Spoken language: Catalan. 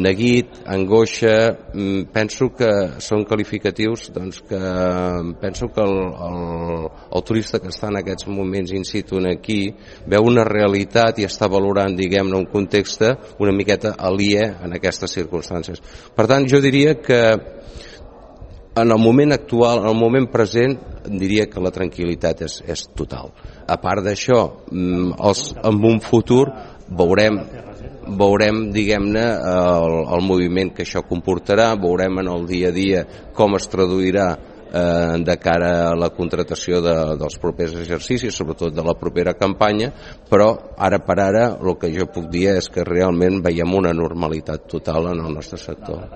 neguit, angoixa, penso que són qualificatius que penso que el turista que està en aquests moments in situ aquí veu una realitat i està valorant, diguem-ne, un context una miqueta aliè en aquestes circumstàncies. Per tant, jo diria que en el moment actual, en el moment present, diria que la tranquil·litat és total. A part d'això, en un futur veurem, diguem-ne, el moviment que això comportarà, veurem en el dia a dia com es traduirà de cara a la contratació dels propers exercicis, sobretot de la propera campanya, però ara per ara el que jo puc dir és que realment veiem una normalitat total en el nostre sector.